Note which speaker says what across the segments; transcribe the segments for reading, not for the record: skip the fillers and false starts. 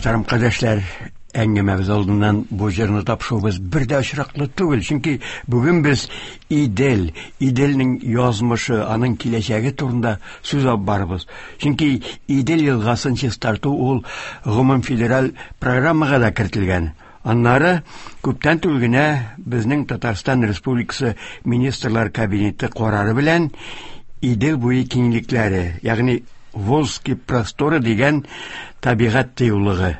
Speaker 1: Мөхтәрәм кардәшләр, әңгәмәбез алдыннан бу җырны тапшыруыбыз бер дә очраклы түгел, чөнки бүген без Идел, Иделнең язмышы, аның киләчәге турында сүз алып барабыз. Чөнки Идел елгасын чистарту ул гомумфедераль программага да кертелгән. Аннары күптән түгел генә безнең Татарстан Республикасы Министрлар Кабинеты карары белән Идел буе киңлекләре, ягъни Волжские просторы дигән табигать тыюлыгы,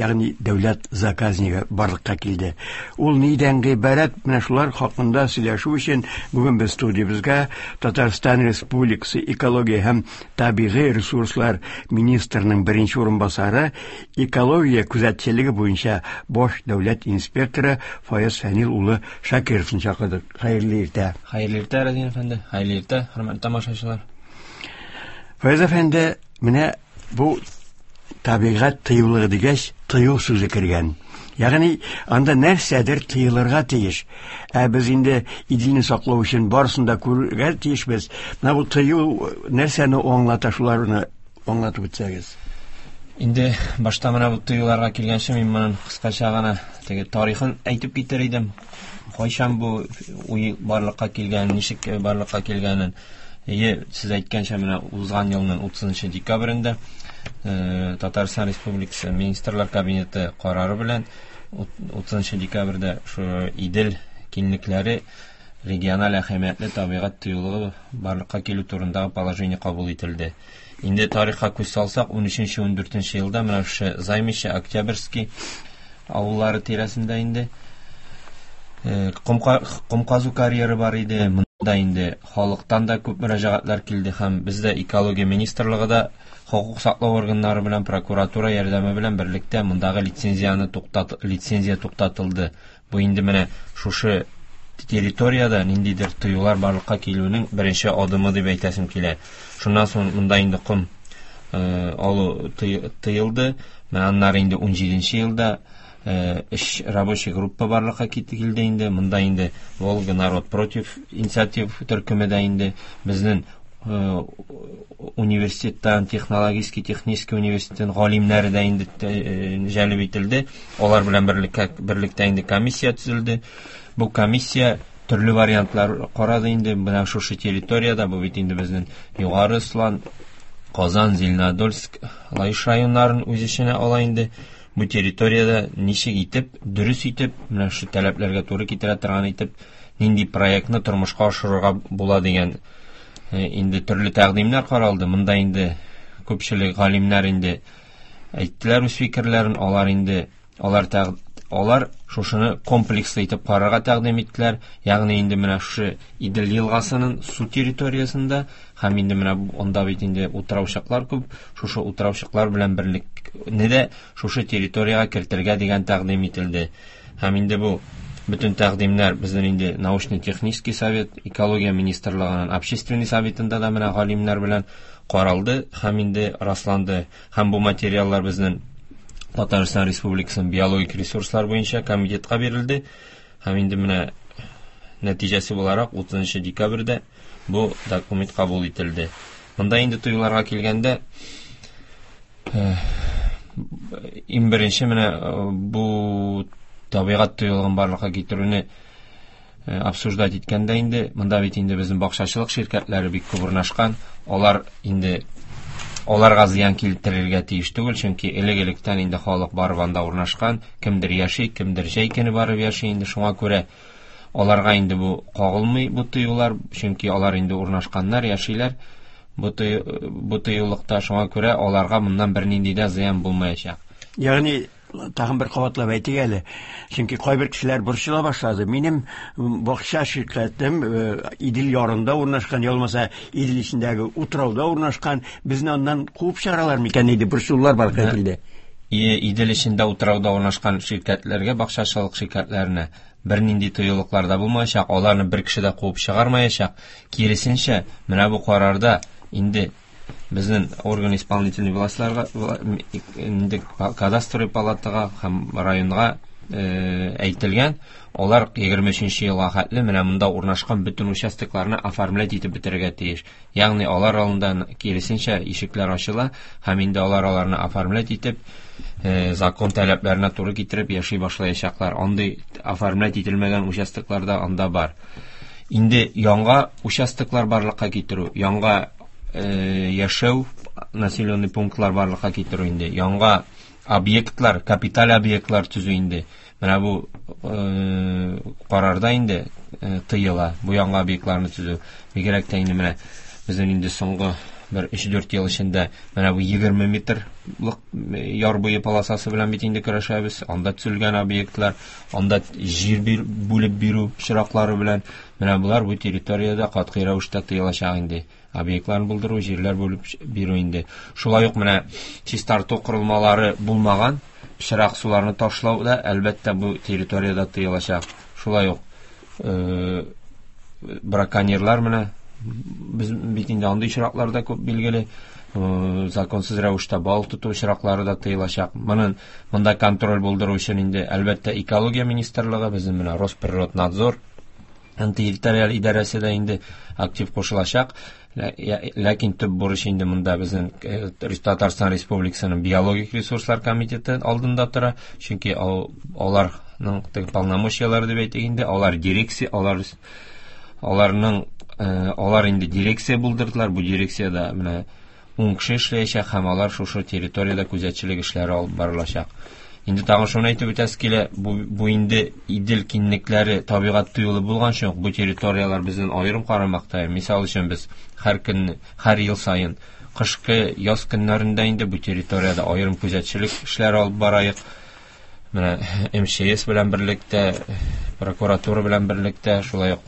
Speaker 1: ягъни дәүләт заказнигы барлыкка килде. Ул нидән гыйбарәт? Менә шулар хакында сөйләшү өчен бүген без студиябезгә Татарстан Республикасы экология һәм табигый ресурслар министрының беренче урынбасары, экология күзәтчелеге буенча баш дәүләт инспекторы Фаяз Фәнил улы Шакировны чакырдык. Хәерле иртә.
Speaker 2: Хәерле иртә, Разин әфәнде. Хәерле иртә, хөрмәтле тамашачылар.
Speaker 1: Фаяз әфәнде, менә бу табигать тыюлыгы дигәч, тыю сүзе кергән. Ягъни анда нәрсәдер тыелырга тиеш. Ә без инде Иделне саклау өчен барысын да күрергә тиешбез. Менә бу тыю нәрсәне аңлата, шуларны аңлатып үтсәгез.
Speaker 2: Инде башта менә бу тыюларга килгәнче мин моның кыскача гына теге тарихын әйтеп китер идем. Кайчан бу уй барлыкка килгән, ничек барлыкка килгәнен. Әйе, сез әйткәнчә, менә узган елның 30 декабрендә Татарстан Республикасы Министрлар Кабинеты карары белән 30 декабрьдә шу Идел киңлекләре региональ әһәмиятле табигать тыюлыгы барлыкка килү турындагы положение кабул ителде. Инде тарихка күз салсак, 13-14 елда менә шушы Займище, Октябрьский авыллары тирәсендә инде ком казу карьеры бар иде. Монда инде халыктан да күп мөрәҗәгатьләр килде һәм бездә экология министрлыгы да хокук саклау органнары белән прокуратура ярдәме белән берлектә мондагы лицензияне туктат лицензия туктатылды. Бу инде менә шушы территориядә ниндидер тыюлар барлыкка килүнең беренче адымы дип әйтәсем килә. Шуннан соң монда инде ком алу тыелды. Менә аннары инде 17 елда эш рабочий группа барлыкка килде инде. Монда инде Волга народ против инициатив төркеме дә инде безнең университеттан, технологический, технический университеттан галимнәре дә инде җәлеп ителде. Алар белән берлектә инде комиссия төзелде. Бу комиссия төрле вариантлар карады инде. Менә шушы территориядә, бу бит инде безнең Югары Ослан, Казан, Зеленодольск, Лаеш районнарын үз эченә ала инде. Бу территориядә ничек итеп, дөрес итеп, менә шушы таләпләргә туры китерә торган итеп, нинди проектны тормышка ашырырга була дигән инде төрле тәкъдимнәр каралды. Монда инде күпчелек галимнәр инде әйттеләр үз фикерләрен, алар инде алар алар шушыны комплекслы итеп карарга тәкъдим иттеләр. Ягъни инде менә шушы Идел елгасының су территориясендә һәм инде менә анда бит инде утраучыклар күп, шушы утраучыклар белән берлекне дә шушы территориягә кертергә дигән тәкъдим ителде. Һәм инде бу бөтен тәкъдимнәр безнең инде научно-технический совет, экология министрлыгының общественный советында да менә галимнәр белән каралды һәм инде расланды. Һәм бу материаллар безнең Татарстан Республикасының биологик ресурслар буенча комитетка бирелде. Һәм инде менә нәтиҗәсе буларак 30 декабрьдә бу документ кабул ителде. Монда инде тыюларга килгәндә, иң беренче менә бу табигать тыюлыгын барлыкка китерүне обсуждать иткәндә инде, монда бит инде безнең бакчачылык ширкәтләре бик күп урнашкан, алар инде аларга зыян китерергә тиеш түгел, чөнки элек-электән инде халык барып анда урнашкан, кемдер яши, кемдер җәй көне барып яши инде, шуңа күрә аларга инде бу кагылмый бу тыюлар, чөнки алар инде урнашканнар, яшиләр бу тыюлыкта, шуңа күрә аларга моннан бернинди дә зыян булмаячак.
Speaker 1: Ягъни тагын бер кабатлап әйтик әле, чөнки кайбер кешеләр борчыла башлады. Минем бакча ширкәтем Идел ярында урнашкан, я булмаса Идел эчендәге утрауда урнашкан, безне аннан куып чыгаралар микән диде, борчылулар барлыкка килде.
Speaker 2: Идел эчендә утрауда урнашкан ширкәтләргә, бакчачылык ширкәтләренә бернинди тыюлыклар да булмаячак, аларны бер кеше дә куып чыгармаячак. Киресенчә, менә бу карарда инде безнең орган исполнительный властьларга, инде кадастровый палатага һәм районга Әйтелгән, алар 23 елга хәтле менә монда урнашкан бөтен участокларны оформлять итеп бетерергә тиеш. Ягъни алар алдында киресенчә ишекләр ачыла һәм инде алар аларны оформлять итеп, закон таләпләренә туры китереп яши башлаячаклар. Андый оформлять ителмәгән участоклар да анда бар. Инде яңа участоклар барлыкка китерү, яңа яшәү населенный пунктлар барлыкка китерү инде, яңа объектлар, капиталь объектлар төзү инде. Менә бу карарда инде тыела бу яңа объектларны төзү. Бигрәк тә инде менә безнең инде соңгы бер 3-4 ел эчендә менә бу 20 метрлык яр буе полосасы белән бит инде көрәшәбез. Анда төзелгән объектлар, анда җир бүлеп бирү очраклары белән менә болар бу территориядә катгый рәвештә тыелачак инде. Объектларын булдыру, җирләр бүлеп бирү инде. Шулай ук менә чистарту корылмалары булмаган пычрак суларны ташлау да әлбәттә бу территориядә тыелачак. Шулай ук браконьерлар менә без бит инде андый очраклар да күп билгеле, законсыз рәвештә балык тоту очраклары да тыелачак. Моның монда контроль булдыру өчен инде әлбәттә экология министрлыгы, безнең менә Росприроднадзор территориаль идарәсе дә инде актив кушылачак. Ләкин төп бурыч инде монда безнең Татарстан Республикасының биологик ресурслар комитеты алдында тора. Чөнки аларның теге полномочияләре дип әйтик инде, алар дирекция, алар аларның алар инде дирекция булдырдылар. Бу дирекциядә менә 10 кеше эшләячәк һәм алар шушы территориядә күзәтчелек эшләре алып барылачак. Инде тагын шуны әйтеп үтәсе килә, бу инде Идел киңлекләре табигать тыюлы булган өчен бу территорияләр безнең аерым карамакта. Мисал өчен без һәр көн, һәр ел саен кышкы, яз көннәрендә инде бу территориядә аерым күзәтчелек эшләре алып барайык. Менә МЧС белән берлектә, прокуратура белән берлектә, шулай ук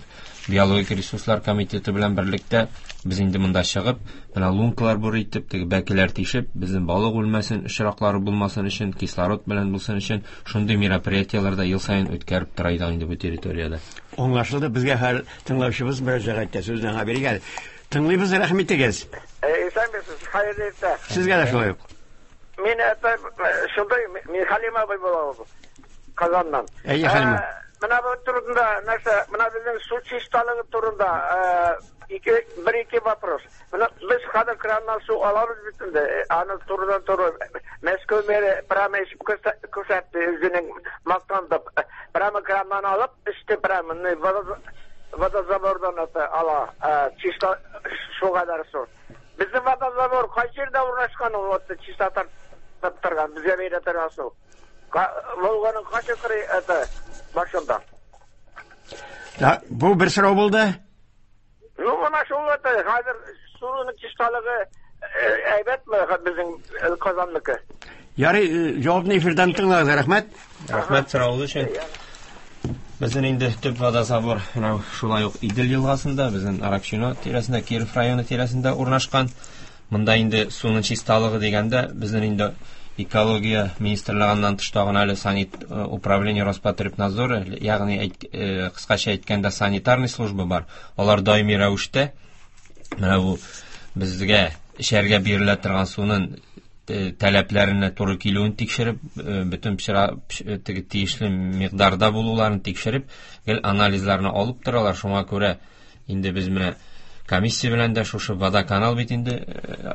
Speaker 2: биологик ресурслар комитеты белән берлектә без инде монда чыгып, менә лункалар бур итеп, теге бәкеләр тишеп, безнең балык үлмәсен, очраклары булмасын өчен, кислород белән булсын өчен шундый мероприятиеләр дә ел саен үткәреп тора идек инде бу территориядә.
Speaker 1: Аңлашылды, безгә һәр тыңлаучыбыз мөрәҗәгать итә, сүзне аңа бирик әле. Тыңлыйбыз, рәхим итегез.
Speaker 3: Исәнмесез, хәерле иртә.
Speaker 1: Сезгә дә шулай ук.
Speaker 3: Мин это шундай, мин Халим абый булам, Казаннан.
Speaker 1: Әйе, Халим.
Speaker 3: Менә бу турында нәрсә, менә безнең су чисталыгы турында бер-ике вопрос. Менә без хәзер краннан су алабыз бит инде, аны турыдан-туры Мәскәү мэры прямо эчеп күрсәтте, үзенең мактанды. Прямо краннан алып эчте, прямо водозабордан это ала, чиста су кадәр су. Безнең водозабор кайсы җирдә урнашкан ул, вот чиста тартып торган, безгә бирә торган су. Волганың кайсы кыры это башында?
Speaker 1: Да, бу бер сорау булды.
Speaker 3: Ну, менә шул это, хәзер суның чисталыгы әйбәтме безнең Казанныкы?
Speaker 1: Ярый, җавапны эфирдан тыңлагыз, рәхмәт.
Speaker 2: Рәхмәт соравыгыз өчен. Безнең инде төп водозабор менә шулай ук Идел елгасында, безнең Аракчино тирәсендә, Киров районы тирәсендә урнашкан. Монда инде суның чисталыгы дигәндә, безнең инде экология министрлыгыннан тыш тагын әле санит управление Роспотребнадзоры, ягъни кыскача әйткәндә санитарный служба бар. Алар даими рәвештә менә бу безгә эчәргә бирелә торган суның таләпләренә туры килүен тикшереп, бөтен теге тиешле микъдарда булуларын тикшереп, гел анализларны алып торалар. Шуңа күрә инде без менә комиссия белән дә шушы водоканал бит инде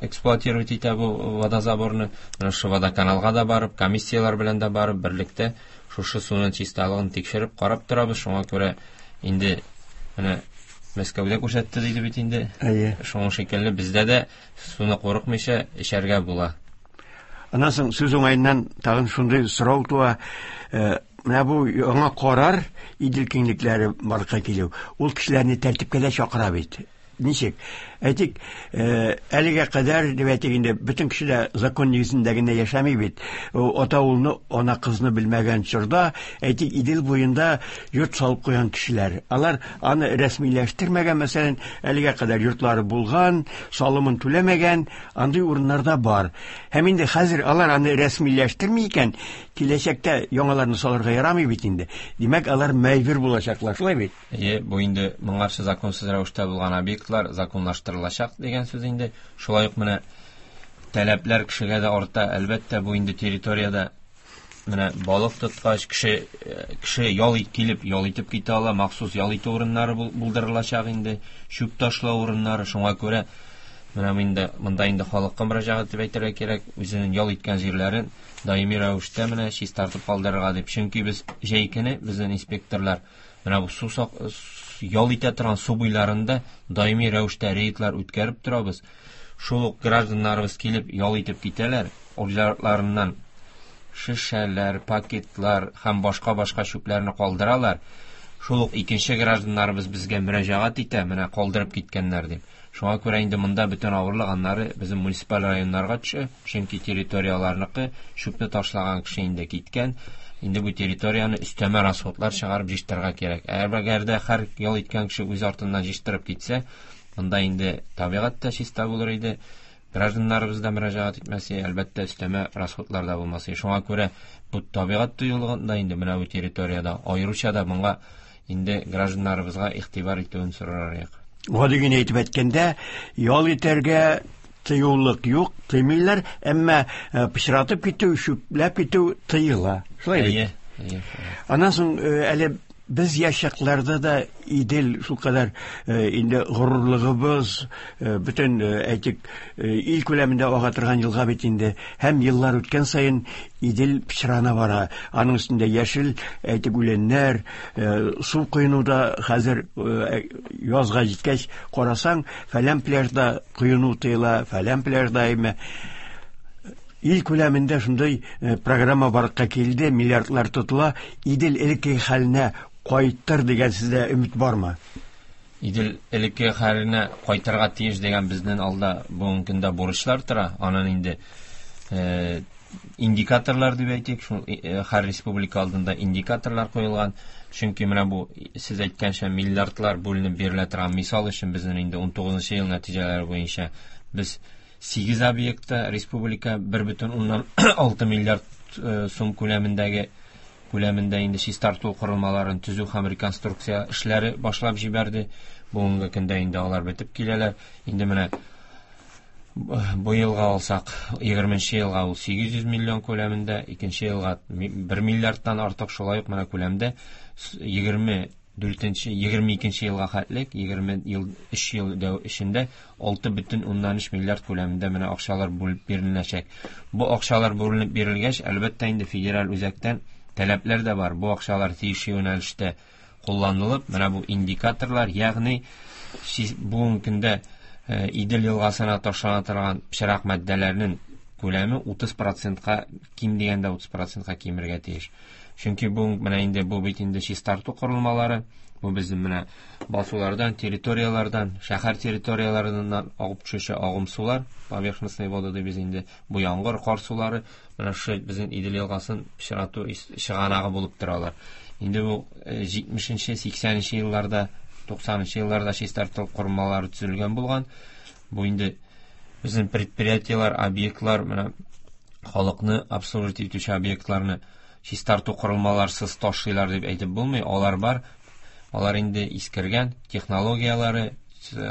Speaker 2: эксплуатировать итә бу водозаборны. Менә шушы водоканалга да барып, комиссияләр белән дә барып, берлектә шушы суның чисталыгын тикшереп, карап торабыз. Шуңа күрә инде менә Мәскәүдә күрсәтте диде бит инде.
Speaker 1: Әйе.
Speaker 2: Шуның шикелле бездә дә суны курыкмыйча эчәргә була.
Speaker 1: Аннан соң сүз уңаеннан тагын шундый сорау туа. Менә бу яңа карар Идел киңлекләре барлыкка килү, ул кешеләрне тәртипкә дә чакыра бит. Ничек? Әйтик, әлегә кадәр дип әйтик инде, бөтен кеше дә закон нигезендә генә яшәми бит. Ата улны, ана кызны белмәгән чорда, әйтик, Идел буенда йорт салып куйган кешеләр. Алар аны рәсмиләштермәгән, мәсәлән, әлегә кадәр йортлары булган, салымын түләмәгән, андый урыннарда бар. Һәм инде хәзер алар аны рәсмиләштерми икән, киләчәктә яңаларны салырга ярамый бит инде. Димәк, алар мәҗбүр булачаклар, шулай бит?
Speaker 2: Әйе, бу инде моңарчы законсыз рәвештә булган объектлар законлаштырылачак дигән сүз инде. Шулай ук менә таләпләр кешегә дә арта. Әлбәттә, бу инде территориядә Менә балык тоткач, кеше ял килеп, ял итеп китә ала, махсус ял итү урыннары булдырылачак инде, чүп ташлау урыннары. Шуңа күрә менә монда инде халыкка мөрәҗәгать итеп әйтергә кирәк, үзенең ял иткән җирләрен даими рәвештә менә чистартып калдырырга дип. Чөнки без җәй көне безнең инспекторлар менә бу су ял итә торган су буйларында даими рәвештә рейдлар үткәреп торабыз. Шул ук гражданнарыбыз килеп ял итеп китәләр, уйларыннан шешәләр, пакетлар һәм башка-башка чүпләрне калдыралар. Шул ук икенче гражданнарыбыз безгә мөрәҗәгать итә, менә калдырып киткәннәр дип. Шуңа күрә инде монда бөтен авырлык аннары безнең муниципаль районнарга төшә, чөнки территорияләрнеке чүпне ташлаган кеше инде киткән. Инде бу территорияне өстәмә расходлар чыгарып җыештырырга кирәк. Әгәр дә һәр ял иткән кеше үз артыннан җыештырып китсә, монда инде табигать та чиста булыр иде. Гражданнарыбыз да мөрәҗәгать итмәсе, әлбәттә, өстәмә расходлар да булмас. Шуңа күрә бу табигать тыюлыгында инде менә бу территориядә аеруча да моңа инде гражданнарыбызга игътибар итүен сорар идек.
Speaker 1: Гади генә әйтеп әйткәндә, ял итәргә тыюлык юк, тыймыйлар, әмма пычратып китү, чүпләп китү тыела. Шулай бит?
Speaker 2: Әйе, әйе.
Speaker 1: Аннан соң әле без яшь чакларда да Идел шулкадәр инде горурлыгыбыз, бөтен, әйтик, ил күләмендә ага торган елга бит инде. Һәм еллар үткән саен Идел пычрана бара. Аның өстендә яшел, әйтик, үләннәр, су коену да хәзер язга җиткәч карасаң, фәлән пляжда коену тыела, фәлән пляжда әйме. Ил күләмендә шундый программа барлыкка килде, миллиардлар тотыла. Идел элекке хәленә кайтыр дигән сездә өмет бармы?
Speaker 2: Идел элекке хәленә кайтырга тиеш дигән безнең алда бүгенге көндә бурычлар тора. Анын инде индикаторлар дип әйтик, шул һәр республика алдында индикаторлар куелган. Чөнки менә бу сез әйткәнчә миллиардлар бүленеп бирелә торган мисал өчен безнең инде 19 ел нәтиҗәләре буенча без 8 объектта республика 1,6 миллиард сум күләмендә инде чистарту корылмаларын төзү һәм реконструкция эшләре башлап җибәрде. Бүгенге көндә инде алар бетеп киләләр. Инде менә бу елга алсак, егерменче елга ул 800 миллион күләмендә, икенче елга 1 миллиардтан артык шулай ук менә күләмдә егерме дүртенче, егерме икенче елга хәтлек, егерме ел, өч ел дәү эчендә 6,3 миллиард күләмендә менә акчалар бүлеп биреләчәк. Бу акчалар бүленеп бирелгәч, әлбәттә инде федераль үзәктән таләпләр дә бар. Бу акчалар тиешле юнәлештә кулланылып, менә бу индикаторлар, ягъни бүгенге көндә Идел елгасына ташлана торган пычрак матдәләрнең күләме утыз процентка, ким дигәндә утыз процентка кимергә тиеш. Чөнки бу менә инде бу бит инде чистарту корылмалары, бу безнең менә басулардан, территорияләрдән, шәһәр территорияләреннән агып төшүче агым сулар, поверхностные воды дибез инде, бу яңгыр, кар сулары, менә шул безнең Идел елгасын пычрату чыганагы булып торалар. Инде бу җитмешенче, сиксәненче елларда, туксанынчы елларда чистарту корылмалары төзелгән булган. Бу инде безнең предприятиеләр, объектлар, менә халыкны обслуживать итүче объектларны чистарту корылмаларсыз ташлыйлар дип әйтеп булмый. Алар бар. Алар инде искергән, технологияләре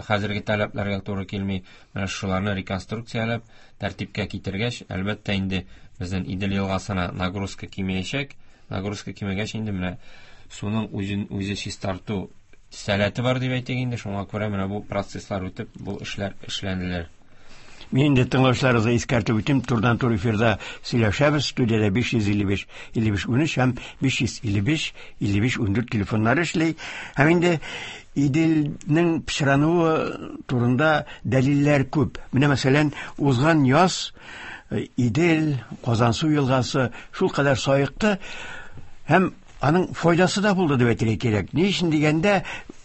Speaker 2: хәзерге таләпләргә туры килми. Менә шуларны реконструкцияләп, тәртипкә китергәч, әлбәттә инде безнең Идел елгасына нагрузка кимеячәк. Нагрузка кимегәч инде менә суның үзен үзе чистарту сәләте бар дип әйтик инде. Шуңа күрә менә бу процесслар үтеп, бу эшләр эшләнелер.
Speaker 1: Мин инде тыңлаучыларыгызга искәртеп үтим, турыдан-туры эфирда сөйләшәбез. Студияда биш йөз илле биш, илле биш унөч һәм биш йөз илле биш, илле биш ундүрт телефоннары эшли. Һәм инде Иделнең пычрануы турында дәлилләр күп. Менә мәсәлән, узган яз Идел, Казансу елгасы шулкадәр саекты һәм аның файдасы да булды дип әйтергә кирәк. Ни өчен дигәндә,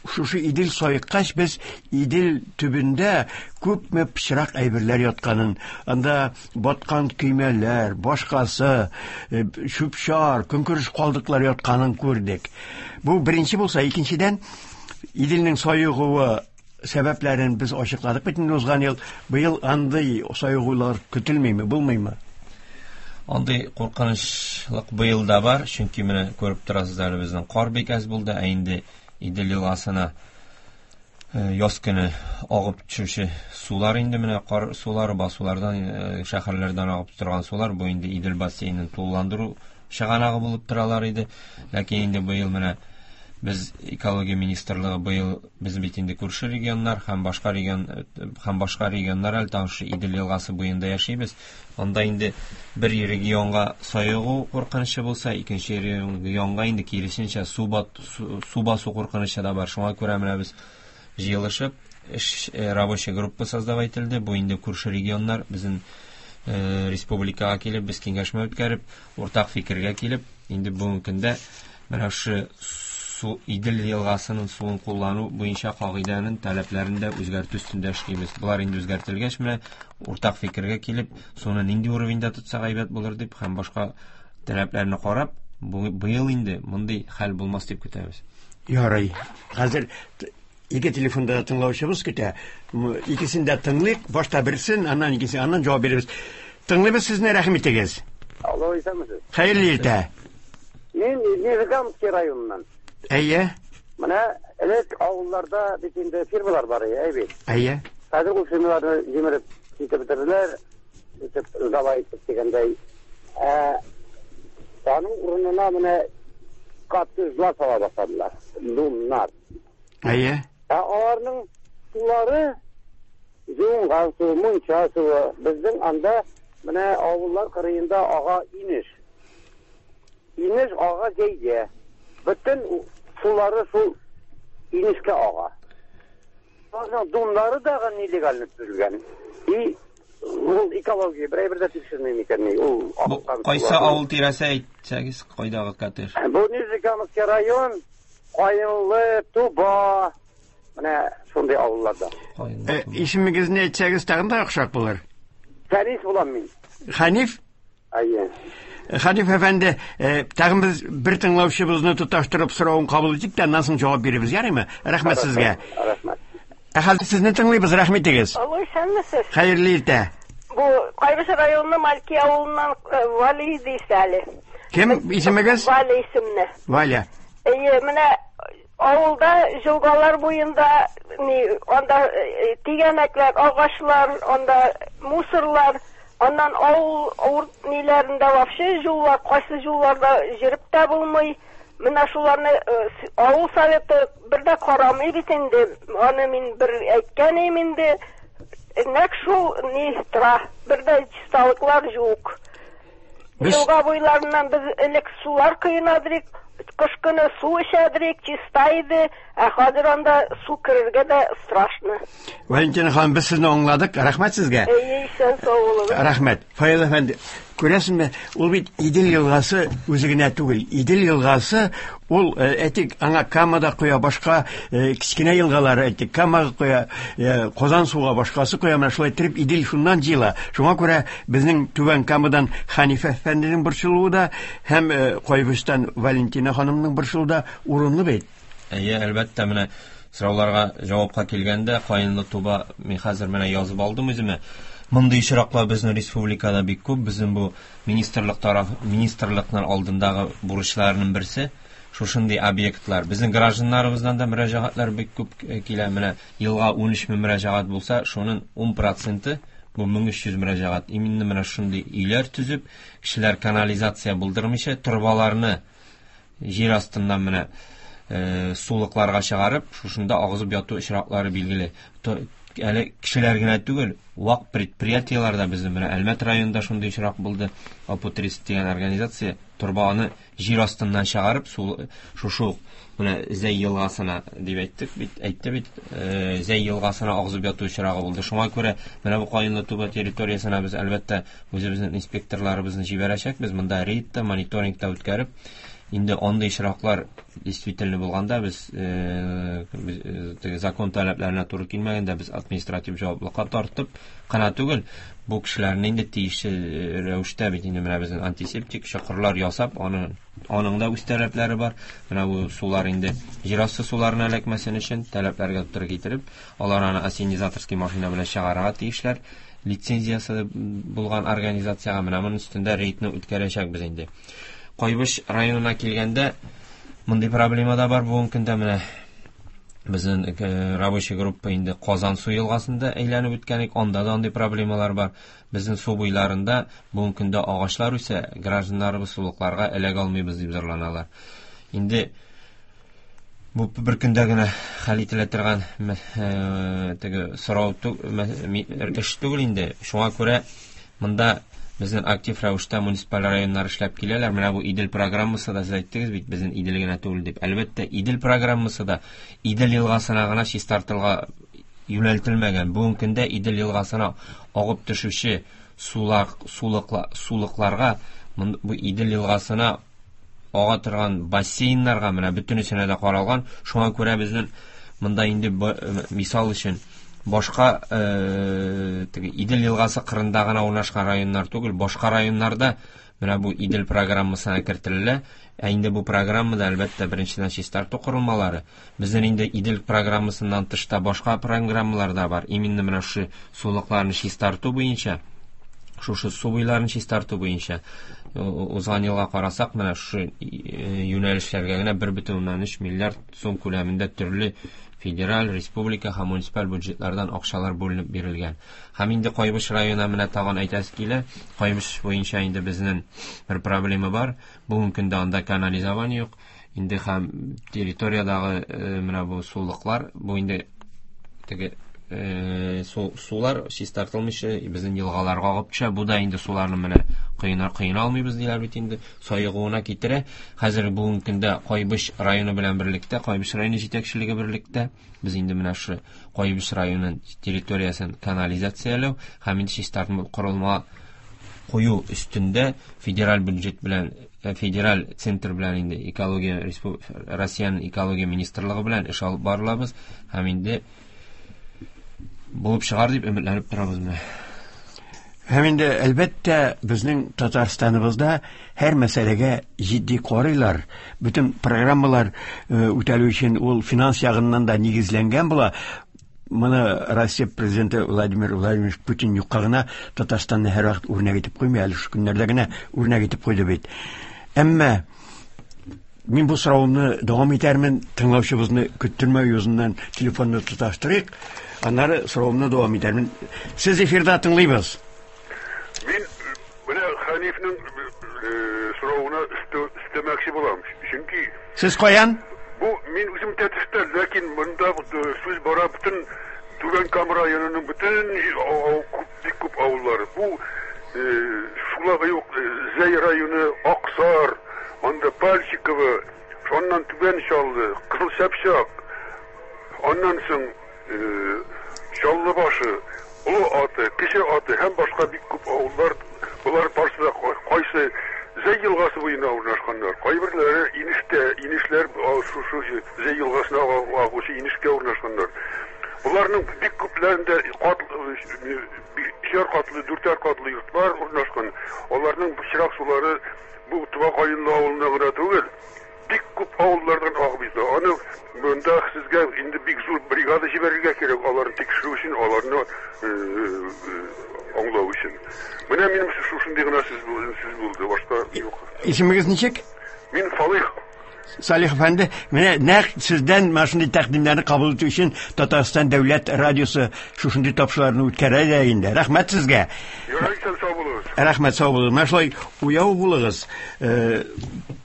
Speaker 1: шушы Идел саеккач, без Идел төбендә күпме пычрак әйберләр ятканын, анда баткан көймәләр, башкасы, чүп-чар, көнкүреш калдыклары ятканын күрдек. Бу беренче булса, икенчедән, Иделнең саегуы сәбәпләрен без ачыкладык бит инде узган ел. Быел андый саегулар көтелмиме, булмыймы?
Speaker 2: Андый куркынычлык быел да бар, чөнки менә күреп торасыз әле безнең кар бик әз булды, ә инде Идел елгасына яз көне агып төшүче сулар инде менә кар сулары, басулардан, шәһәрләрдән агып торган сулар, бу инде Идел бассейнын тулыландыру чыганагы булып торалар иде. Ләкин инде быел менә без экология министрлыгы быел без бит инде күрше регионнар һәм башка регион һәм башка регионнар әле тагын шушы Идел елгасы буенда яшибез. Анда инде бер регионга саегу куркынычы булса, икенче регионга инде киресенчә су бат су басу куркынычы да бар. Шуңа күрә менә без җыелышып эш рабочая группа создавать ителде. Бу инде күрше регионнар безнең республикага килеп, без киңәшмә үткәреп, уртак фикергә килеп, инде бүгенге көндә менә шушы су Идел елгасының суын куллану буенча кагыйдәнең таләпләрен дә үзгәртү өстендә эшлибез. Болар инде үзгәртелгәч, менә уртак фикергә килеп, суны нинди уровеньда тотсак әйбәт булыр дип һәм башка таләпләрне карап, быел инде мондый хәл булмас дип көтәбез.
Speaker 1: Ярый. Хәзер ике телефонда да тыңлаучыбыз көтә. Икесен дә тыңлыйк. Башта берсен, аннан икенче, аннан җавап бирербез. Тыңлыйбыз сезне, рәхим итегез.
Speaker 4: Алло, исәнмесез.
Speaker 1: Хәерле иртә.
Speaker 4: Мин Нижегамский районыннан.
Speaker 1: Әйе.
Speaker 4: Менә элек авылларда бит инде фирмалар бар иде, әй бит.
Speaker 1: Әйе.
Speaker 4: Хәзер ул фирмаларны җимереп китеп бетерделәр, итеп сдавай итеп дигәндәй. Ә аның урынына менә коттеджлар сала башладылар, домнар.
Speaker 1: Әйе.
Speaker 4: Ә аларның сулары юынган су, мунча суы. Безнең анда менә авыллар кырыенда ага инеш. Инеш ага җәйгә. Бөтен сулары шул инешкә ага. Аларның домнары дагы нелегально төзелгән. И ул экология бер әйбер дә тикшерми микән ни? Ул
Speaker 2: Бу кайсы авыл тирәсе әйтсәгез, кайдагы коттедж?
Speaker 4: Бу Нижнекамский район, Каенлы, Туба, менә шундый авылларда.
Speaker 1: Э, исемегезне әйтсәгез тагын да яхшырак булыр.
Speaker 4: Хәниф булам мин.
Speaker 1: Хәниф?
Speaker 4: Әйе.
Speaker 1: Хәниф әфәнде, э, тагын без бер тыңлаучыбызны тоташтырып соравын кабул итик тә, аннан соң җавап бирербез, ярыймы? Рәхмәт сезгә.
Speaker 4: Рәхмәт.
Speaker 1: Ә хәзер сезне тыңлыйбыз, рәхмәт итегез.
Speaker 5: Алло, исәнмесез.
Speaker 1: Хәерле иртә.
Speaker 5: Бу Кайбыч районы Мальки авылыннан э, Вали дейсез әле.
Speaker 1: Кем исемегез?
Speaker 5: Валя исемле.
Speaker 1: Валя.
Speaker 5: Әйе, менә авылда җылгалар буенда ни анда э, тигәнәкләр, агачлар, анда мусорлар, аннан авыл авыр ниләрендә вообще юллар, кайсы юлларда җөреп тә булмый. Менә шуларны э, авыл советы бер дә карамый бит инде. Аны мин бер әйткән идем инде. Нәкъ шул ни тора. Бер дә чисталыклар юк.
Speaker 1: Без
Speaker 5: Елга буйларыннан без элек сулар коенадырик, кыш көне су эчәдерик, чиста иде, ә хәзер анда су керергә дә страшно.
Speaker 1: Валентина ханым, без сезне аңладык. Рәхмәт сезгә.
Speaker 5: Әйе, исән сау булыгыз.
Speaker 1: Рәхмәт. Фаил әфәнде, күрәсезме, ул бит Идел елгасы үзе генә түгел. Идел елгасы ул, э, әйтик, аңа Кама да коя, башка э, кечкенә елгалар, әйтик, Камага коя, э, Казан суга башкасы коя, менә шулай иттереп Идел шуннан җыела. Шуңа күрә безнең Түбән Камадан Хәниф әфәнденең борчылуы да һәм Кайбычтан Валентина ханымның борчылуы да урынлы бит.
Speaker 2: Әйе, әлбәттә, менә сорауларга җавапка килгәндә, Каенлы Туба мин хәзер менә язып алдым үземә. Мондый очраклар безнең республикада бик күп. Безнең бу министрлык тараф, министрлыкның алдындагы бурычларының берсе шушындый объектлар. Безнең гражданнарыбыздан да мөрәҗәгатьләр бик күп э, килә. Менә елга 13 мең мөрәҗәгать булса, шуның 10 проценты бу 1300 мөрәҗәгать. Именно менә шундый өйләр төзеп, кешеләр канализация булдырмыйча, торбаларны җир астыннан менә э, сулыкларга чыгарып, шушында агызып яту очраклары билгеле. Әле кешеләр генә түгел, вак предприятиеләр дә безнең менә Әлмәт районында шундый очрак булды. Апутрист дигән организация торбаны җир астыннан чыгарып, сул шушы ук менә Зәй елгасына дип әйттек бит, әйтте бит, э, Зәй елгасына агызып яту очрагы булды. Шуңа күрә менә бу Каенлы Туба территориясенә без әлбәттә үзебезнең инспекторларыбызны җибәрәчәкбез. Монда рейд та, мониторинг та үткәреп, инде андый очраклар действительно булганда без, э, без э, теге закон таләпләренә туры килмәгәндә без административ җаваплыкка тартып кына түгел, бу кешеләрне инде тиешле э, рәвештә бит инде менә безнең антисептик чокырлар ясап, аны аның да үз таләпләре бар. Менә бу сулар инде җир асты суларына эләкмәсен өчен таләпләргә туры китереп, алар аны ассенизаторский машина белән чыгарырга тиешләр. Лицензиясе булган организациягә менә моның өстендә рейдны үткәрәчәкбез инде. Кайбыч районына килгәндә, мондый проблема да бар бүгенге көндә менә Безнең рабочий группа инде Казан су елгасында әйләнеп үткән идек, анда да андый проблемалар бар. Безнең су буйларында бүгенге көндә агачлар үсә, гражданнарыбыз сулыкларга эләгә алмыйбыз дип зарланалар. Инде бу бер көндә генә хәл ителә торган теге сорау эш түгел инде. Шуңа күрә монда безнең актив рәвештә муниципаль районнар эшләп киләләр. Менә бу Идел программасы да, сез әйттегез бит, безнең Идел генә түгел дип. Әлбәттә, Идел программасы да Идел елгасына гына чистартылга юнәлтелмәгән. Бүгенге көндә Идел елгасына агып төшүче сулар, сулыкларга, бу Идел елгасына ага торган бассейннарга менә бөтенесенә дә каралган. Шуңа күрә безнең монда инде мисал өчен башка теге Идел елгасы кырында гына урнашкан районнар түгел, башка районнарда менә бу Идел программасына кертелә. Ә инде бу программада әлбәттә беренчедән чистарту корылмалары. Безнең инде Идел программасыннан тыш та башка программалар да бар. Именно менә шушы сулыкларны чистарту буенча, шушы су буйларын чистарту буенча узган елга карасак, менә шушы юнәлешләргә генә 1,3 миллиард сум күләмендә төрле федераль, республика һәм муниципаль бюджетлардан акчалар бүленеп бирелгән. Һәм инде Кайбыч районына менә тагын әйтәсе килә. Кайбыч буенча инде безнең бер проблема бар. Бүгенге көндә анда канализование юк. Инде һәм территориядәге менә бу сулыклар, бу инде теге сулар чистартылмыйча безнең елгаларга агып төшә. Бу да инде суларны менә кыена алмыйбыз диләр бит инде, саегуына китерә. Хәзер бүгенге көндә Кайбыч районы белән берлектә, Кайбыч районы җитәкчелеге берлектә без инде менә шу Кайбыч районының территориясен канализацияләү һәм инде чистарту корылма кую өстендә федераль бюджет белән, федераль центр белән инде экология Россиянең экология министрлыгы белән эш алып барылабыз һәм инде булып чыгар дип өметләнеп торабыз менә.
Speaker 1: Һәм инде әлбәттә безнең Татарстаныбызда һәр мәсьәләгә җитди карыйлар. Бөтен программалар үтәлү өчен ул финанс ягыннан да нигезләнгән була. Моны Россия президенты Владимир Владимирович Путин юкка гына Татарстанны һәрвакыт үрнәк итеп куймый, әле шул көннәрдә генә үрнәк итеп куйды бит. Әмма мин бу сорауны дәвам итәрмен, тыңлаучыбызны көттермәү йөзеннән телефонны тоташтырыйк, аннары сорауымны дәвам итәрмен. Сез эфирда, тыңлыйбыз.
Speaker 6: Мин менә Хәнифнең соравына өстәмәкче булам. Чөнки
Speaker 1: Сез каян?
Speaker 6: Бу мин үзем Тәтештә, ләкин монда сүз бара бөтен Түбән Кама районының бөтен бик күп авыллары. Бу шулай ук Зәй районы, Аксар, анда Пальчиково, шуннан Түбән Чаллы, Кызыл Чапчак, аннан соң Чаллы башы, Олы Аты, Кече Аты һәм башка бик күп авыллар, болар барысы да кайсы Зәй елгасы буена урнашканнар. Кайберләре инештә, инешләр шушы Зәй елгасына агучы инешкә урнашканнар. Боларның бик күпләрендә бишәр катлы, дүртәр катлы йортлар урнашкан. Аларның пычрак сулары бу Туба Каенлы авылына гына түгел, бик күп авыллардан агып җитә. Аны монда сезгә инде бик зур бригада җибәрергә кирәк, аларны тикшерү өчен, аларны аңлау өчен. Менә минем шушындый гына сүз булды, башка юк.
Speaker 1: Исемегез ничек?
Speaker 6: Мин Салих.
Speaker 1: Салих әфәнде, менә нәкъ сездән менә шундый тәкъдимнәрне кабул итү өчен Татарстан дәүләт радиосы шушындый тапшыруларны үткәрә дә инде. Рәхмәт сезгә.
Speaker 6: Ярый, сау булыгыз.
Speaker 1: Рәхмәт, сау булыгыз. Менә шулай уяу булыгыз.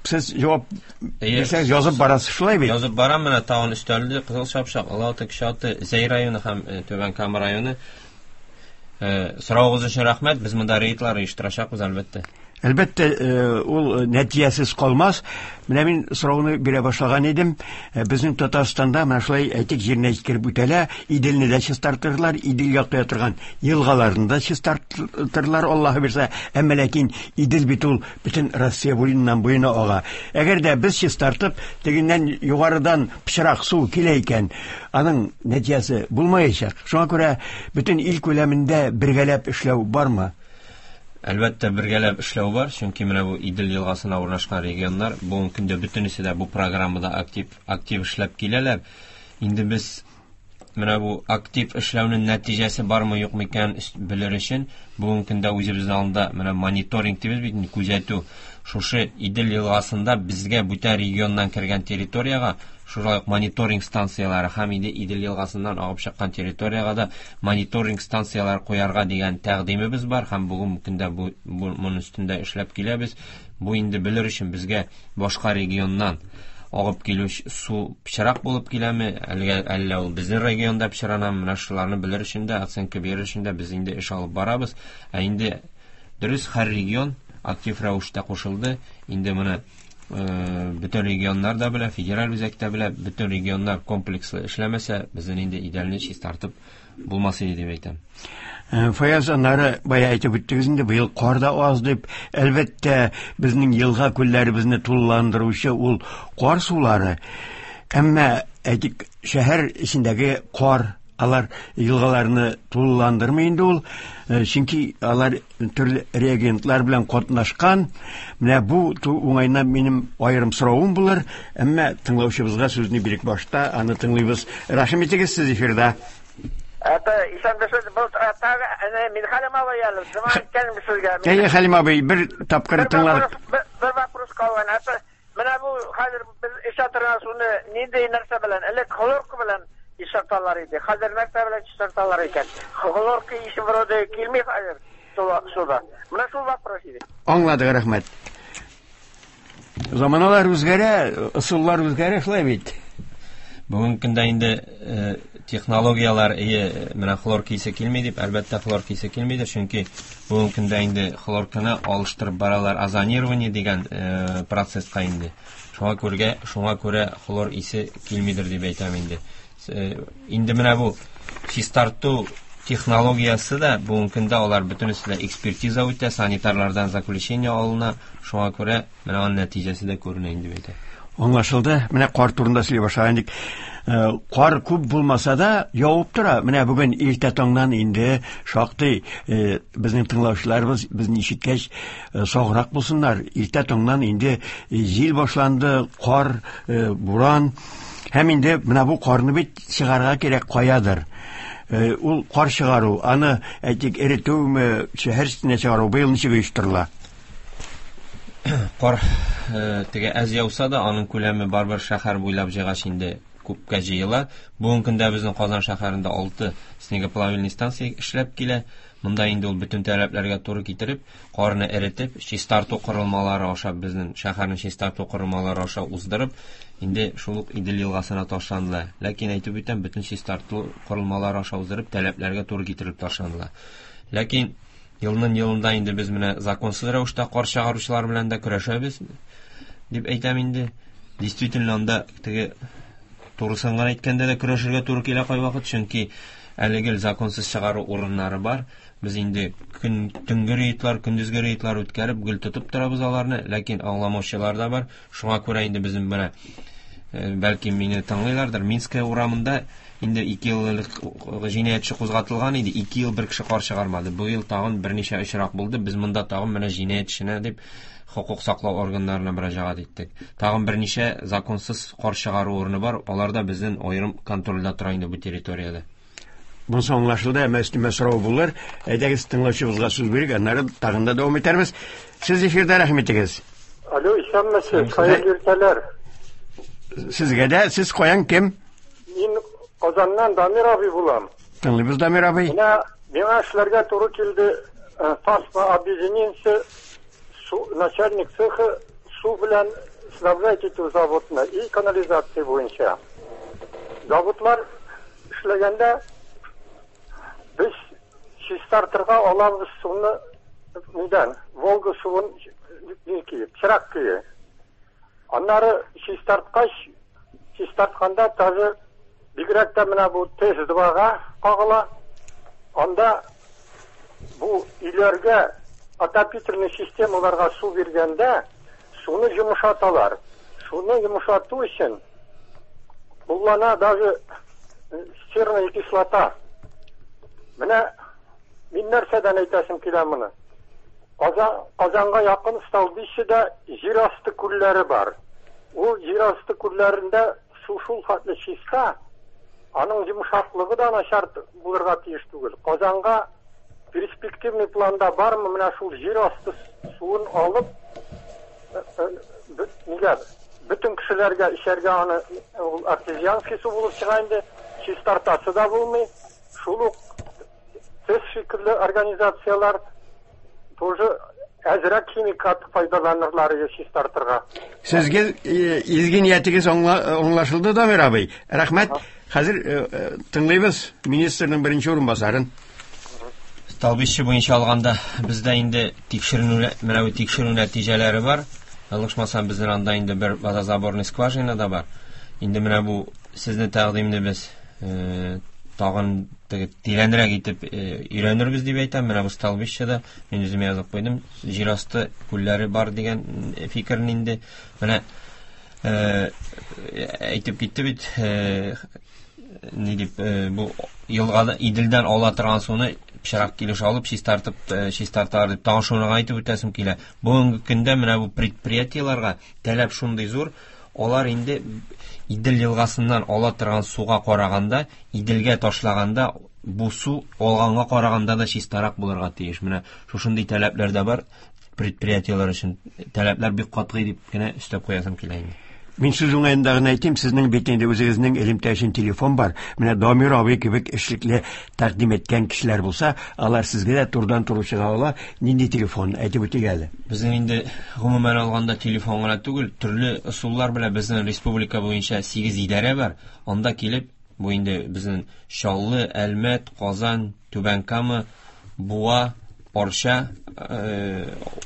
Speaker 1: Сез җавап бирсәгез язып барасыз, шулай бит?
Speaker 2: Язып барам, менә тагын өстәлде. Кызыл Чапчак, Олы Аты, Кече Аты, Зәй районы һәм Түбән Кама районы. Соравыгыз өчен рәхмәт. Без монда рейдлар оештырачакбыз, әлбәттә.
Speaker 1: Әлбәттә, ул нәтиҗәсез калмас. Менә мин сорауны бирә башлаган идем. Безнең Татарстанда менә шулай әйтик җиренә җиткереп үтәлә. Иделне дә чистартырлар, Иделгә куя торган елгаларны да чистартырлар, Аллаһы бирсә. Әмма ләкин Идел бит ул бөтен Россия буеннан буена ага. Әгәр дә без чистартып, тегеннән югарыдан пычрак су килә икән, аның нәтиҗәсе булмаячак. Шуңа күрә бөтен ил күләмендә бергәләп эшләү бармы?
Speaker 2: Әлбәттә, бергәләп эшләү бар, чөнки менә бу Идел елгасына урнашкан регионнар бүгенге көндә бөтенесе дә бу программада актив эшләп киләләр. Инде без менә бу актив эшләүнең нәтиҗәсе бармы юкмы икәнен белер өчен бүгенге көндә үзебезнең алда менә мониторинг дибез бит инде, күзәтү. Шушы Идел елгасында безгә бүтән регионнан кергән территориягә шулай ук мониторинг станцияләре һәм инде Идел елгасыннан агып чыккан территориягә дә мониторинг станцияләре куярга дигән тәкъдимебез бар һәм бүгенге көндә бу, бу моның өстендә эшләп киләбез. Бу инде белер өчен безгә башка регионнан агып килүче су пычрак булып киләме, әлгә әллә ул безнең регионда пычранамы, менә шуларны белер өчен дә, оценка бирер өчен дә без инде эш алып барабыз. Ә инде дөрес һәр регион актив рәвештә кушылды. Инде моны бөтен регионнар да белә, федераль үзәк тә белә, бөтен регионнар комплекслы эшләмәсә, безнең инде Иделне чистартып булмас иде дип әйтәм.
Speaker 1: Фаяз, аннары бая әйтеп үттегез инде, быел кар да аз дип. Әлбәттә, безнең елга күлләребезне тулыландыручы ул кар сулары. Әмма, әйтик, шәһәр эчендәге кар, алар елгаларны тулыландырмый инде ул, чөнки алар төрле реагентлар белән катнашкан. Менә бу уңайдан минем аерым соравым булыр, әмма тыңлаучыбызга сүзне бирик башта, аны тыңлыйбыз. Рәхим итегез, сез эфирда.
Speaker 3: Это исәнмесез, был тагы әнә мин Хәлим абый әле, зыман иткәнем сезгә.
Speaker 1: Әйе, Хәлим абый, бер тапкыр тыңладык.
Speaker 3: Бер вопрос калган. Это менә бу хәзер без эчә торган суны нинди нәрсә белән, элек хлорка белән чистарталар иде. Хәзер нәрсә белән чистарталар икән? Хлорка ише вроде килми хәзер суда. Менә шул вопрос иде.
Speaker 1: Аңладык, рәхмәт. Заманалар үзгәрә, ысуллар үзгәрә, шулай бит.
Speaker 2: Бүгенге көндә инде технологияләр ие, менә хлорка исе килми дип, әлбәттә хлорка исе килмидер, чөнки бүгенге көндә инде хлорканы алыштырып баралар озонирование дигән процесска инде. Шуңа күрә, шуңа күрә хлор исе килмидер дип әйтәм инде. Инде менә бу чистарту технологиясе дә бүгенге көндә алар бөтенесе дә экспертиза үтә, санитарлардан заключение алына, шуңа күрә менә аның нәтиҗәсе дә күренә инде дип әйтәм.
Speaker 1: Аңлашылды. Менә кар турында сөйли башлаган идек. Кар күп булмаса да явып тора. Менә бүген иртә таңнан инде шактый безнең тыңлаучыларыбыз безне ишеткәч, саграк булсыннар. Иртә таңнан инде җил башланды, кар, буран. Һәм инде менә бу карны бит чыгарга кирәк каядыр. Ул кар чыгару, аны әйтик эретүме, шәһәр читенә чыгару быел ничек оештырыла?
Speaker 2: Кар теге әз яуса да, аның күләме барыбер шәһәр буйлап җыйгач инде күпкә җыела. Бүгенге көндә безнең Казан шәһәрендә 6 снегоплавильный станция эшләп килә. Монда инде ул бөтен таләпләргә туры китереп, карны эретеп, чистарту корылмалары аша безнең шәһәрнең чистарту корылмалары аша уздырып, инде шул ук Идел елгасына ташланыла. Ләкин әйтеп үтәм, бөтен чистарту корылмалары аша уздырып, таләпләргә туры китереп ташланыла. Ләкин елның елында инде без менә законсыз рәвештә кар чыгаручылар белән дә көрәшәбез дип әйтәм инде. Действительно, анда теге турысын гына әйткәндә дә көрәшергә туры килә кайвакыт, чөнки әле гел законсыз чыгару урыннары бар. Без инде көн төнге рейдлар, көндезге рейдлар үткәреп, гел тотып торабыз аларны, ләкин аңламаучылар да бар. Шуңа күрә инде безнең менә бәлки мине тыңлыйлардыр, Минская урамында инде 2 ел элек җинаятьче кузгатылган иде, 2 ел бер кеше кар чыгармады. Бу ел тагын берничә очрак булды. Без монда тагын менә җинаятьчене дип хокук саклау органнарына мөрәҗәгать иттек. Тагын берничә законсыз кар чыгару урыны бар, алар да безнең аерым контрольдә тора инде бу территориядә.
Speaker 1: Монысы аңлашылды, әмма өстәмә сорау булыр. Әйдәгез, тыңлаучыбызга сүз бирик, аннары тагын да дәвам итәрбез. Сез эфирдә, рәхим итегез.
Speaker 7: Алло, исәнмесез, хәерле иртәләр.
Speaker 1: Сезгә дә, сез каян, кем?
Speaker 7: Мин Казаннан Дамир абый булам.
Speaker 1: Тыңлыйбыз, Дамир абый.
Speaker 7: Менә миңа эшләргә туры килде, Тасма объединениесе начальник цеха су белән снабжать итү заводны и канализация буенча. Заводлар эшләгәндә без чистартырга алабыз суны нидән, Волга суын пычрак көе. Аннары чистарткач, чистартканда тоже бигрәк тә менә бу ТЭС-2-га кагыла. Анда бу өйләргә отопительный системаларга су биргәндә суны йомшаталар. Суны йомшату өчен куллана даже серная кислота. Менә мин нәрсәдән әйтәсем килә моны? Казанга якын Столбищеда җир асты күлләре бар. Ул җир асты күлләрендә су шул хәтле чиста. Аның йомшаклыгы да начар булырга тиеш түгел. Казанга перспективный планда бармы менә шул җир асты суын алып, нигә бөтен кешеләргә эчәргә аны ул артезианский су булып чыга инде, чистартасы да булмый. Шул ук ТЭС шикелле организацияләр тоже әзрәк химикат файдаланырлар иде чистартырга.
Speaker 1: Сезгә изге ниятегез аңлашылды, Дамир абый. Рәхмәт. Хәзер тыңлыйбыз министрның беренче урынбасарын.
Speaker 2: Столбище буенча алганда бездә инде тикшеренү, менә бу тикшерү нәтиҗәләре бар. Ялгышмасам, безнең анда инде бер водозаборный скважина да бар. Инде менә бу сезнең тәкъдимне без тагын теге тирәнрәк итеп өйрәнербез дип әйтәм. Менә бу столбищеда мин үзем язып куйдым. Җир асты күлләре бар дигән фикерне инде менә әйтеп китте бит, ни дип, бу елгада Иделдән ала торган суны пычрак килеш алып чистартып чистарталар дип, тагын шуны әйтеп үтәсем килә. Бүгенге көндә менә бу предприятиеләргә таләп шундый зур, алар инде Идел елгасыннан ала торган суга караганда, Иделгә ташлаганда бу су алганга караганда да чистарак булырга тиеш. Менә шушындый таләпләр дә бар. Предприятиеләр өчен таләпләр бик катгый дип кенә өстәп куясым килә инде.
Speaker 1: Мин сүз уңаенда гына әйтим, сезнең бит инде үзегезнең элемтә өчен телефон бар. Менә Дамир абый кебек эшлекле тәкъдим иткән кешеләр булса, алар сезгә дә турыдан-туры чыга ала. Нинди телефон әйтеп үтик әле?
Speaker 2: Безнең инде гомумән алганда телефон гына түгел, төрле ысуллар белән безнең республика буенча 8 идарә бар. Анда килеп, бу инде безнең Чаллы, Әлмәт, Казан, Түбән Кама, Буа, Арча,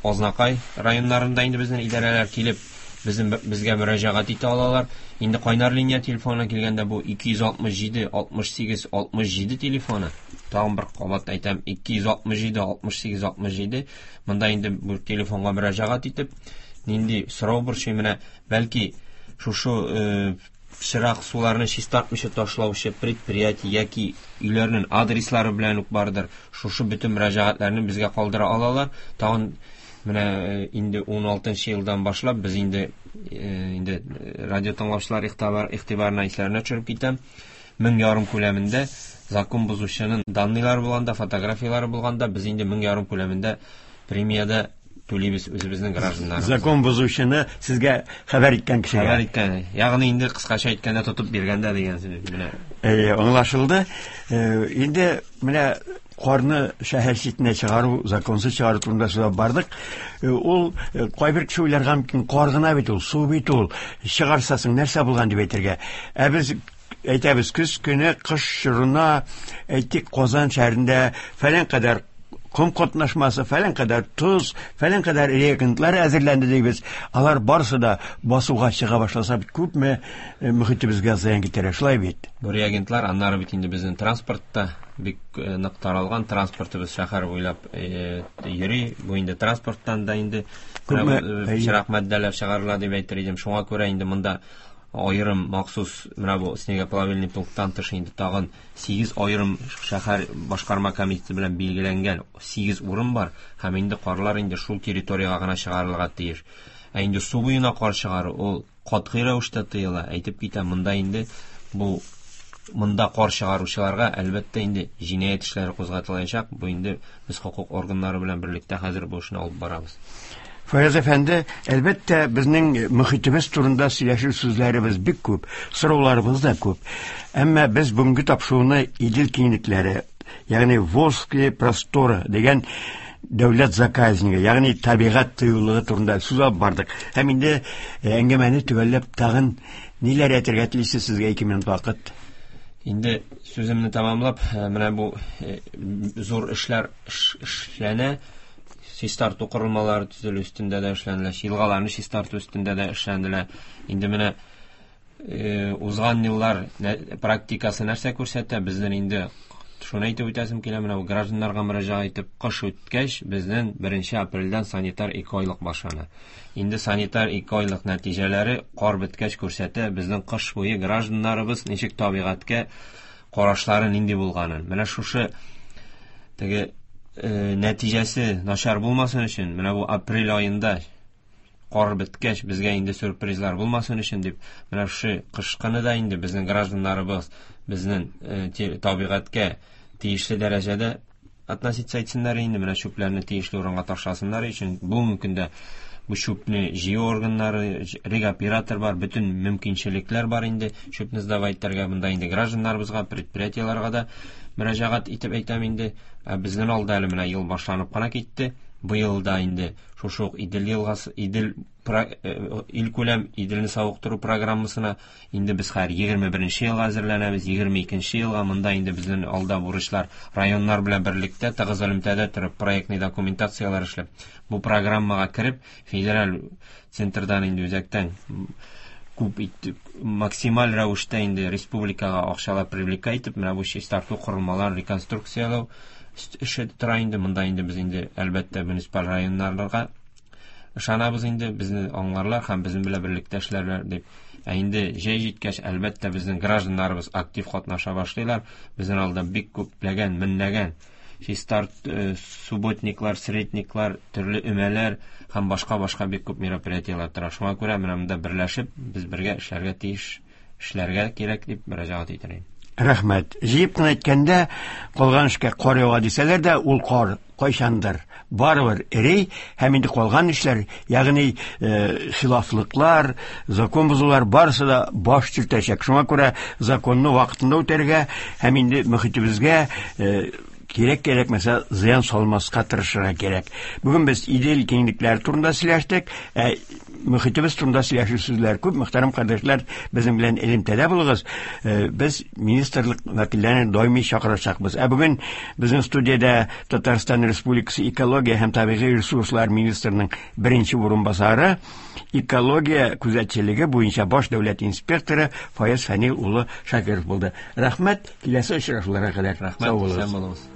Speaker 2: Азнакай районнарында инде безнең идарәләр килеп, безгә мөрәҗәгать итә алалар. Инде кайнар линия телефонына килгәндә бу 267 68 67 телефоны. Тагын бер кабат әйтәм, 267 68 67. Монда инде бу телефонга мөрәҗәгать итеп, нинди сорау борчый, менә бәлки шушы пычрак суларны чистартмыйча ташлаучы предприятие яки өйләрнең адреслары белән үк бардыр. Шушы бөтен мөрәҗәгатьләрне безгә калдыра алалар. Тагын менә инде 16 елдан башлап без инде инде радио тыңлаучылар игътибарына исләренә төшереп китәм. 1500 күләмендә закон бозучының данныйлары булганда, фотографиялары булганда без инде 1500 күләмендә премияда түлибез үзебезнең гражданнарыбызга.
Speaker 1: Закон бозучыны сезгә хәбәр иткән кешегә.
Speaker 2: Хәбәр иткән. Ягъни инде кыскача әйткәндә тотып биргәндә дигән сүз менә.
Speaker 1: Әйе, аңлашылды. Инде менә карны шәһәр читенә чыгару, законсыз чыгару турында сөйләп бардык. Ул кайбер кеше уйларга мөмкин, кар гына бит ул, су бит ул. Чыгарсасың нәрсә булган дип әйтергә. Ә без әйтәбез, көз көне, кыш чорына, әйтик, Казан шәһәрендә фәлән кадәр ком катнашмасы, фәлән кадәр тоз, фәлән кадәр реагентлар әзерләнде дибез. Алар барысы да басуга чыга башласа бит күпме мөхитебезгә зыян китерә, шулай бит?
Speaker 2: Бу реагентлар аннары бит инде безнең транспортта бик нык таралган, транспортыбыз шәһәр буйлап йөри. Бу инде транспорттан да инде
Speaker 1: күпме
Speaker 2: пычрак матдәләр чыгарыла дип әйтер идем. Шуңа күрә инде монда аерым махсус менә бу снегоплавильный пункттан тыш инде тагын 8 аерым шәһәр башкарма комитеты белән билгеләнгән 8 урын бар һәм инде карлар инде шул территориягә гына чыгарылырга тиеш. Ә инде су буена кар чыгару ул катгый рәвештә тыела. Әйтеп китәм, монда инде бу монда кар чыгаручыларга әлбәттә инде җинаять эшләре кузгатылачак. Бу инде без хокук органнары белән берлектә хәзер бу эшне алып барабыз.
Speaker 1: Фаяз әфәнде, әлбәттә, безнең мөхитебез турында сөйләшер сүзләребез бик күп, сорауларыбыз да күп. Әмма без бүгенге тапшыруны Идел киңлекләре, ягъни Волжские просторы дигән дәүләт заказнигы, ягъни табигать тыюлыгы турында сүз алып бардык. Һәм инде әңгәмәне төгәлләп тагын ниләр әйтергә телисез, сезгә 2 минут вакыт.
Speaker 2: Инде сүземне тәмамлап, менә бу зур эшләр эшләнә. Чистарту корылмалары төзелү өстендә дә эшләнелә, елгаларны чистарту өстендә дә эшләнелә. Инде менә узган еллар практикасы нәрсә күрсәтә? Безнең инде шуны әйтеп үтәсем килә, менә бу гражданнарга мөрәҗәгать итеп, кыш үткәч, безнең 1 апрельдән санитар 2 айлык башлана. Инде санитар 2 айлык нәтиҗәләре кар беткәч күрсәтә, безнең кыш буе гражданнарыбыз ничек табигатькә карашлары нинди булганын. Менә шушы теге нәтиҗәсе начар булмасын өчен, менә бу апрель аенда кар беткәч безгә инде сюрпризлар булмасын өчен дип, менә шушы кышкыны да инде безнең гражданнарыбыз Безнең табигатькә тиешле дәрәҗәдә относиться итсеннәр инде, менә чүпләрне тиешле урынга ташласыннар өчен. Бүгенге көндә бу чүпне җыю органнары, регоператор бар, бөтен мөмкинчелекләр бар инде чүпне сдавать итәргә. Монда инде гражданнарыбызга, предприятиеләргә дә мөрәҗәгать итеп әйтәм инде. Безнең алда әле менә ел башланып кына китте. Быел да инде шушы ук Идел елгасы, Идел илкүләм Иделне савыктыру программасына инде без хәзер 21 елга әзерләнәбез, 22 елга. Монда инде безнең алда бурычлар районнар белән берлектә тыгыз элемтәдә торып, проектный документацияләр эшләп, бу программага кереп, федераль центрдан инде үзәктән күп итеп, максималь рәвештә инде республикага акчалар привлекать итеп, менә бу чистарту корылмаларын реконструкцияләү эше тора инде. Монда инде без инде әлбәттә муниципаль районнарга ышанабыз инде, безне аңларлар һәм безнең белән берлектә эшләрләр дип. Ә инде җәй җиткәч, әлбәттә, безнең гражданнарыбыз актив катнаша башлыйлар. Безнең алда бик күпләгән, меңләгән чистарт субботниклар, средниклар, төрле өмәләр һәм башка-башка бик күп мероприятиеләр тора. Шуңа күрә менә монда берләшеп, без бергә эшләргә тиеш, эшләргә кирәк дип мөрәҗәгать итәм.
Speaker 1: Рәхмәт. Җыеп кына әйткәндә, калган эшкә кар ява дисәләр дә, ул кар кайчандыр барыбер эри, һәм инде калган эшләр, ягъни хилафлыклар, закон бозулар барысы да баш төртәчәк. Шуңа күрә законны вакытында үтәргә һәм инде мөхитебезгә кирәк кирәкмәсә зыян салмаска тырышырга кирәк. Бүген без Идел киңлекләре турында сөйләштек, ә мөхитебез турында сөйләшү сүзләр күп. Мөхтәрәм кардәшләр, безнең белән элемтәдә булыгыз. Без министрлык вәкилләрен даими чакырачакбыз. Ә бүген безнең студиядә Татарстан Республикасы экология һәм табигый ресурслар министрының беренче урынбасары, экология күзәтчелеге буенча баш дәүләт инспекторы Фаяз Фәнил улы Шакиров булды. Рәхмәт, киләсе очрашуларга кадәр.
Speaker 2: Рәхмәт,
Speaker 1: Сау булыгыз.
Speaker 2: исән булыгыз.